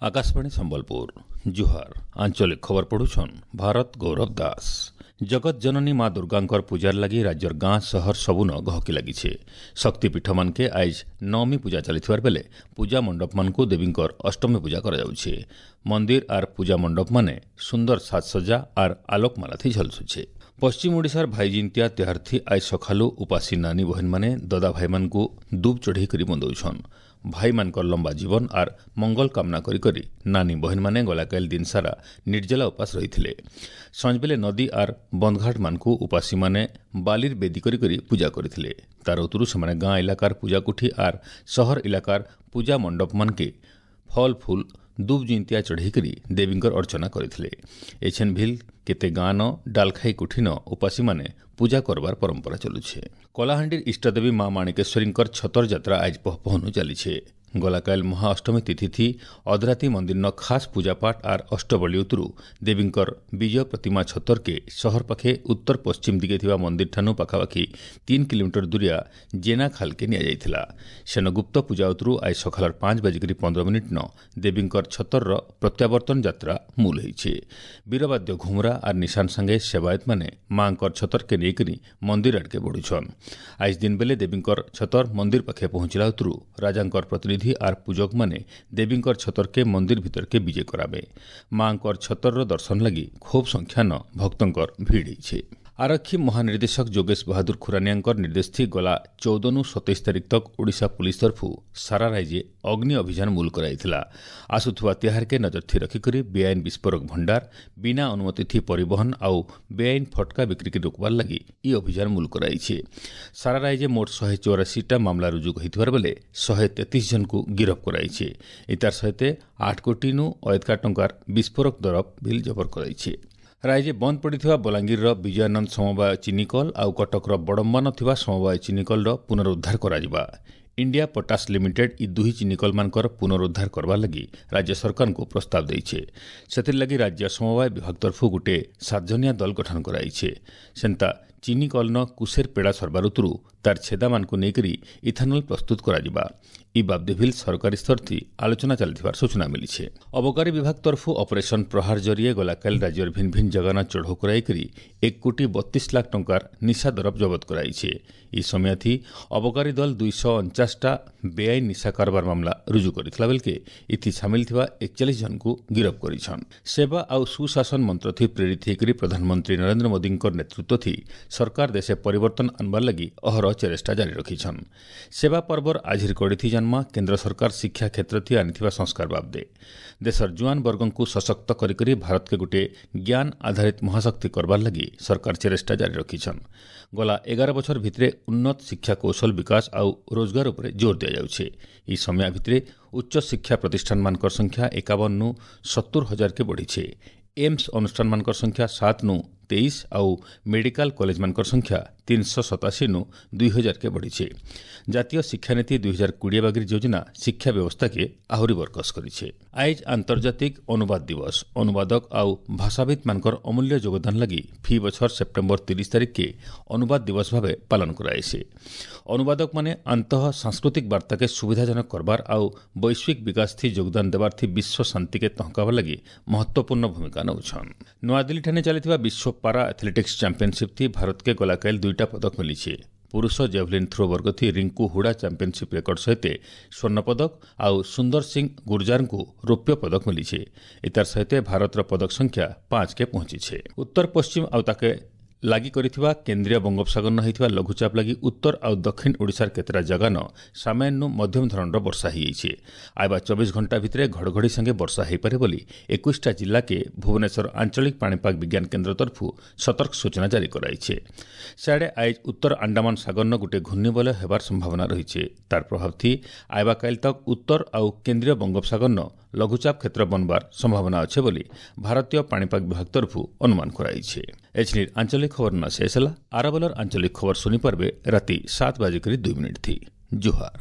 ଆକାଶବାଣୀ ସମ୍ବଲପୁର, ଜୁହାର। ଆଞ୍ଚଳିକ ଖବର ପଢୁଛନ୍ ଭାରତ ଗୌରବ ଦାସ। ଜଗତ ଜନନୀ ମା ଦୁର୍ଗାଙ୍କର ପୂଜାର ଲାଗି ରାଜ୍ୟର ଗାଁ ସହର ସବୁନ ଗହକି ଲାଗିছে। ଶକ୍ତିପୀଠମାନକେ ଆଇଜ ନବମୀ ପୂଜା ଚାଲିଥିବାର ବେଲେ ପୂଜା ମଣ୍ଡପମାନଙ୍କୁ ଦେବୀଙ୍କର ଅଷ୍ଟମୀ ପୂଜା କରାଯାଉଛି। ମନ୍ଦିର ଆର୍ ପୂଜା ମଣ୍ଡପମାନେ ସୁନ୍ଦର ସାଜସଜ୍ଜା ଆର୍ ଆଲୋକମାଲାଥି ଝଲସୁଛେ। ପଶ୍ଚିମ ଓଡ଼ିଶାର ଭାଇଜିନ୍ତିଆ ତିହାରଥି ଆଇଜ ସକାଳୁ ଉପାସୀ ନାନୀ ବହେନମାନେ ଦଦା ଭାଇମାନଙ୍କୁ ଦୁବ୍ ଚଢ଼େଇ କରି ବନ୍ଦଉଛନ୍। ଭାଇମାନଙ୍କର ଲମ୍ବା ଜୀବନ ଆର୍ ମଙ୍ଗଳ କାମନା କରି କରି ନାନୀ ବହେନମାନେ ଗଲାକାଲି ଦିନ ସାରା ନିର୍ଜଲା ଉପାସ ରହିଥିଲେ। ସଞ୍ଜବେଲେ ନଦୀ ଆର୍ ବନ୍ଧଘାଟମାନଙ୍କୁ ଉପାସୀମାନେ ବାଲିର ବେଦୀ କରି କରି ପୂଜା କରିଥିଲେ। ତାର ଉତରୁ ସେମାନେ ଗାଁ ଇଲାକାର ପୂଜାକୁଠି ଆର୍ ସହର ଇଲାକାର ପୂଜା ମଣ୍ଡପମାନକେ ଫଲ ଫୁଲ ଦୁବ୍ ଜିନ୍ତିଆ ଚଢ଼େଇକରି ଦେବୀଙ୍କର ଅର୍ଚ୍ଚନା କରିଥିଲେ। ଏଛେନ୍ ଭିଲ୍ କେତେ ଗାଁନ ଡାଲଖାଇ କୁଠିନ ଉପାସୀମାନେ ପୂଜା କରବାର ପରମ୍ପରା ଚଲୁଛେ। କଳାହାଣ୍ଡିର ଇଷ୍ଟଦେବୀ ମା ମାଣିକେଶ୍ୱରୀଙ୍କର ଛତର ଯାତ୍ରା ଆଜ ପହପହନୁ ଚାଲିଛେ। ଗଲାକାଲ ମହାଅଷ୍ଟମୀ ତିଥି ଅଧରାତି ମନ୍ଦିରନ ଖାସ୍ ପୂଜାପାଠ ଆର୍ ଅଷ୍ଟବଳି ଉତରୁ ଦେବୀଙ୍କର ବିଜୟ ପ୍ରତିମା ଛତରକେ ସହର ପାଖେ ଉତ୍ତର ପଶ୍ଚିମ ଦିଗେ ଥିବା ମନ୍ଦିର ଠାନୁ ପାଖାପାଖି 3 କିଲୋମିଟର ଦୂରିଆ ଜେନା ଖାଲକେ ନିଆଯାଇଥିଲା। ସେନ ଗୁପ୍ତ ପୂଜା ଉତରୁ ଆজ ସକାଳର 5:15 ନ ଦେବୀଙ୍କର ଛତରର ପ୍ରତ୍ୟାବର୍ତ୍ତନ ଯାତ୍ରା ମୂଲ ହେଇଛେ। ବୀରବାଦ୍ୟ ଘୁମରା ଆର୍ ନିଶାନ ସାଙ୍ଗେ ସେବାୟତମାନେ ମାଙ୍କର ଛତରକେ ନେଇକରି ମନ୍ଦିର ଆଡ଼କେ ବଢୁଛନ୍। ଆଜ ଦିନ ବେଲେ ଦେବୀଙ୍କର ଛତର ମନ୍ଦିର ପାଖେ ପହଞ୍ଚିଲା ଉତରୁ ରାଜାଙ୍କର ପ୍ରତିନିଧି ଆର୍ ପୂଜକମାନେ ଦେବୀଙ୍କର ଛତରକେ ମନ୍ଦିର ଭିତରକେ ବିଜେ କରାବେ। ମାଙ୍କର ଛତରର ଦର୍ଶନ ଲାଗି ଖୁବ୍ ସଂଖ୍ୟାନ ଭକ୍ତଙ୍କର ଭିଡ଼ ହେଇଛେ। ଆରକ୍ଷୀ ମହାନିର୍ଦ୍ଦେଶକ ଯୋଗେଶ ବାହାଦୁର ଖୁରାନିଆଙ୍କର ନିର୍ଦ୍ଦେଶ ଥି ଗଲା 14 27 ତାରିଖ ତକ ଓଡ଼ିଶା ପୁଲିସ ତରଫୁ ସାରା ରାଜ୍ୟ ଅଗ୍ନି ଅଭିଯାନ ମୂଲ କରାଯାଇଥିଲା। ଆସୁଥିବା ତିହାରକେ ନଜର ଥି ରଖିକରି ବେଆଇନ ବିସ୍ଫୋରକ ଭଣ୍ଡାର, ବିନା ଅନୁମତି ଥି ପରିବହନ ଆଉ ବେଆଇନ ଫଟକା ବିକ୍ରିକେ ରୋକବାର ଲାଗି ଇ ଅଭିଯାନ ମୂଲ କରାଯାଇଛି। ସାରା ରାଜ୍ୟ ମୋଟ 184ଟା ମାମଲା ରୁଜୁ ହୋଇଥିବାର ବେଲେ 133 ଜଣକୁ ଗିରଫ କରାଯାଇଛି। ଏତାର ସହିତ 8 କୋଟିନୁ ଅୟତକା ଟଙ୍କାର ବିସ୍ଫୋରକ ଦରବ ବିଲ୍ ଜବର କରାଯାଇଛି। ରାଜ୍ୟ ବନ୍ଦ ପଡ଼ିଥିବା ବଲାଙ୍ଗୀରର ବିଜୟାନନ୍ଦ ସମବାୟ ଚିନିକଲ ଆଉ କଟକର ବଡ଼ମ୍ବାନ ଥିବା ସମବାୟ ଚିନିକଲର ପୁନରୁଦ୍ଧାର କରାଯିବା। ଇଣ୍ଡିଆ ପଟାସ ଲିମିଟେଡ୍ ଇ ଦୁହି ଚିନିକଲମାନଙ୍କର ପୁନରୁଦ୍ଧାର କରବାର ଲାଗି ରାଜ୍ୟ ସରକାରଙ୍କୁ ପ୍ରସ୍ତାବ ଦେଇଛେ। ସେଥିର୍ଲାଗି ରାଜ୍ୟ ସମବାୟ ବିଭାଗ ତରଫରୁ ଗୋଟିଏ 7 ଜଣିଆ ଦଳ ଗଠନ କରାଯାଇଛି। ସେନ୍ତା ଚିନିକଲନ କୁଶେର ପେଡ଼ା ସରବାର ଉତରୁ ତାର ଛେଦାମାନଙ୍କୁ ନେଇକରି ଇଥାନଲ ପ୍ରସ୍ତୁତ କରାଯିବା। ଇ ବାବଦେ ଭିଲ୍ ସରକାରୀ ସ୍ତରଥି ଆଲୋଚନା ଚାଲିଥିବାର ସୂଚନା ମିଳିছে। ଅବକାରୀ ବିଭାଗ ତରଫୁ ଅପରେସନ ପ୍ରହାର ଜରିଏ ଗଲାକାଲି ରାଜ୍ୟର ଭିନ୍ନ ଭିନ୍ନ ଜାଗାନା ଚଢ଼ଉ କରାଇକରି 1,32,00,000 ଟଙ୍କାର ନିଶା ଦରବ ଜବତ କରାଇছে। ଇ ସମୟାଥି ଅବକାରୀ ଦଳ 249ଟା ବେଆଇନ ନିଶା କାରବାର ମାମଲା ରୁଜୁ କରିଥିଲା ବେଲକେ ଇଥି ସାମିଲ ଥିବା 41 ଜଣକୁ ଗିରଫ କରିଛନ୍। ସେବା ଆଉ ସୁଶାସନ ମନ୍ତ୍ରଥି ପ୍ରେରିତ ହେଇକରି ପ୍ରଧାନମନ୍ତ୍ରୀ ନରେନ୍ଦ୍ର ମୋଦୀଙ୍କର ନେତୃତ୍ୱ ଥି ସରକାର ଦେଶେ ପରିବର୍ତ୍ତନ ଆନବାର ଲାଗି ଅହରହ ଚେଷ୍ଟା ଜାରି ରଖିଛନ୍। ସେବା ପର୍ବର ଆଜିର କଡ଼ିଥି ଜନ୍ମା କେନ୍ଦ୍ର ସରକାର ଶିକ୍ଷା କ୍ଷେତ୍ରଥି ଆଣିଥିବା ସଂସ୍କାର ବାବଦେ ଦେଶର ଜୁଆନ ବର୍ଗଙ୍କୁ ସଶକ୍ତ କରି କରି ଭାରତକେ ଗୋଟିଏ ଜ୍ଞାନ ଆଧାରିତ ମହାଶକ୍ତି କରବାର ଲାଗି ସରକାର ଚେଷ୍ଟା ଜାରି ରଖିଛନ୍। ଗଲା 11 ବଛର ଭିତରେ ଉନ୍ନତ ଶିକ୍ଷା କୌଶଳ ବିକାଶ ଆଉ ରୋଜଗାର ଉପରେ ଜୋର ଦିଆଯାଉଛି। ଏହି ସମୟ ଭିତରେ ଉଚ୍ଚ ଶିକ୍ଷା ପ୍ରତିଷ୍ଠାନମାନଙ୍କର ସଂଖ୍ୟା 51 70 ହଜାରକେ ବଢ଼ିছে। ଏମ୍ସ ଅନୁଷ୍ଠାନମାନଙ୍କର ସଂଖ୍ୟା 7 23 ଆଉ ମେଡିକାଲ କଲେଜମାନଙ୍କର ସଂଖ୍ୟା 387 2000କେ ବଢ଼ିছে। ଜାତୀୟ ଶିକ୍ଷାନୀତି 2020 ବାଗିର ଯୋଜନା ଶିକ୍ଷା ବ୍ୟବସ୍ଥାକେ ଆହୁରି ବରକସ କରିছে। ଆଇଜ ଆନ୍ତର୍ଜାତିକ ଅନୁବାଦ ଦିବସ। ଅନୁବାଦକ ଆଉ ଭାଷାବିତ୍ମାନଙ୍କର ଅମୂଲ୍ୟ ଯୋଗଦାନ ଲାଗି ଫି ବଛର ସେପ୍ଟେମ୍ବର 30 ତାରିଖକେ ଅନୁବାଦ ଦିବସ ଭାବେ ପାଳନ କରାଯାଇଛି। ଅନୁବାଦକମାନେ ଆନ୍ତଃ ସାଂସ୍କୃତିକ ବାର୍ତ୍ତାକେ ସୁବିଧାଜନକ କରବାର ଆଉ ବୈଶ୍ୱିକ ବିକାଶ ଥି ଯୋଗଦାନ ଦେବାର ଥି ବିଶ୍ୱ ଶାନ୍ତିକେ ତହକାବାର ଲାଗି ମହତ୍ତ୍ୱପୂର୍ଣ୍ଣ ଭୂମିକା ନେଉଛନ୍। ନୂଆଦିଲ୍ଲୀଠାରେ ଚାଲିଥିବା ବିଶ୍ୱ ପାରା ଆଥଲେଟିକ୍ସ ଚାମ୍ପିୟନସିପ୍ ଥି ଭାରତକେ ଗଲାକାଲି 2ଟା ପଦକ ମିଳିছে। ପୁରୁଷ ଜେଭଲିନ୍ ଥ୍ରୋ ବର୍ଗ ଥି ରିଙ୍କୁ ହୁଡା ଚାମ୍ପିୟନସିପ୍ ରେକର୍ଡ ସହିତ ସ୍ୱର୍ଣ୍ଣ ପଦକ ଆଉ ସୁନ୍ଦର ସିଂ ଗୁର୍ଜାରଙ୍କୁ ରୌପ୍ୟ ପଦକ ମିଳିছে। ଏତାର ସହିତ ଭାରତର ପଦକ ସଂଖ୍ୟା 5କେ ପହଞ୍ଚିছে। ଉତ୍ତର ପଶ୍ଚିମ ଆଉ ତାକେ ଲାଗି କରିଥିବା କେନ୍ଦ୍ରୀୟ ବଙ୍ଗୋପସାଗର ହେଇଥିବା ଲଘୁଚାପ ଲାଗି ଉତ୍ତର ଆଉ ଦକ୍ଷିଣ ଓଡ଼ିଶାର କେତେଟା ଜାଗାନ ସାମାନ୍ୟ ମଧ୍ୟମ ଧରଣର ବର୍ଷା ହେଇଯାଇଛି। ଆଇବା 24 ଘଣ୍ଟା ଭିତରେ ଘଡ଼ଘଡ଼ି ସାଙ୍ଗେ ବର୍ଷା ହୋଇପାରେ ବୋଲି 21ଟା ଜିଲ୍ଲାକେ ଭୁବନେଶ୍ୱର ଆଞ୍ଚଳିକ ପାଣିପାଗ ବିଜ୍ଞାନ କେନ୍ଦ୍ର ତରଫରୁ ସତର୍କ ସୂଚନା ଜାରି କରାଯାଇଛି। ସିଆଡ଼େ ଆଇଜ ଉତ୍ତର ଆଣ୍ଡାମାନ ସାଗରନ ଗୋଟିଏ ଘୂର୍ଣ୍ଣିବଳୟ ହେବାର ସମ୍ଭାବନା ରହିଛି। ତାର ପ୍ରଭାବ ଥି ଆଇବା କାଲି ତକ ଉତ୍ତର ଆଉ କେନ୍ଦ୍ରୀୟ ବଙ୍ଗୋପସାଗରନ ଲଘୁଚାପ କ୍ଷେତ୍ର ବନବାର ସମ୍ଭାବନା ଅଛି ବୋଲି ଭାରତୀୟ ପାଣିପାଗ ବିଭାଗ ତରଫରୁ ଅନୁମାନ କରାଯାଇଛି। ଏଛିନିର ଆଞ୍ଚଳିକ ଖବର ନ ଶେଷ ହେଲା। ଆରବଲର ଆଞ୍ଚଳିକ ଖବର ଶୁଣିପାରିବେ ରାତି 7:02 ଥି। ଜୁହାର।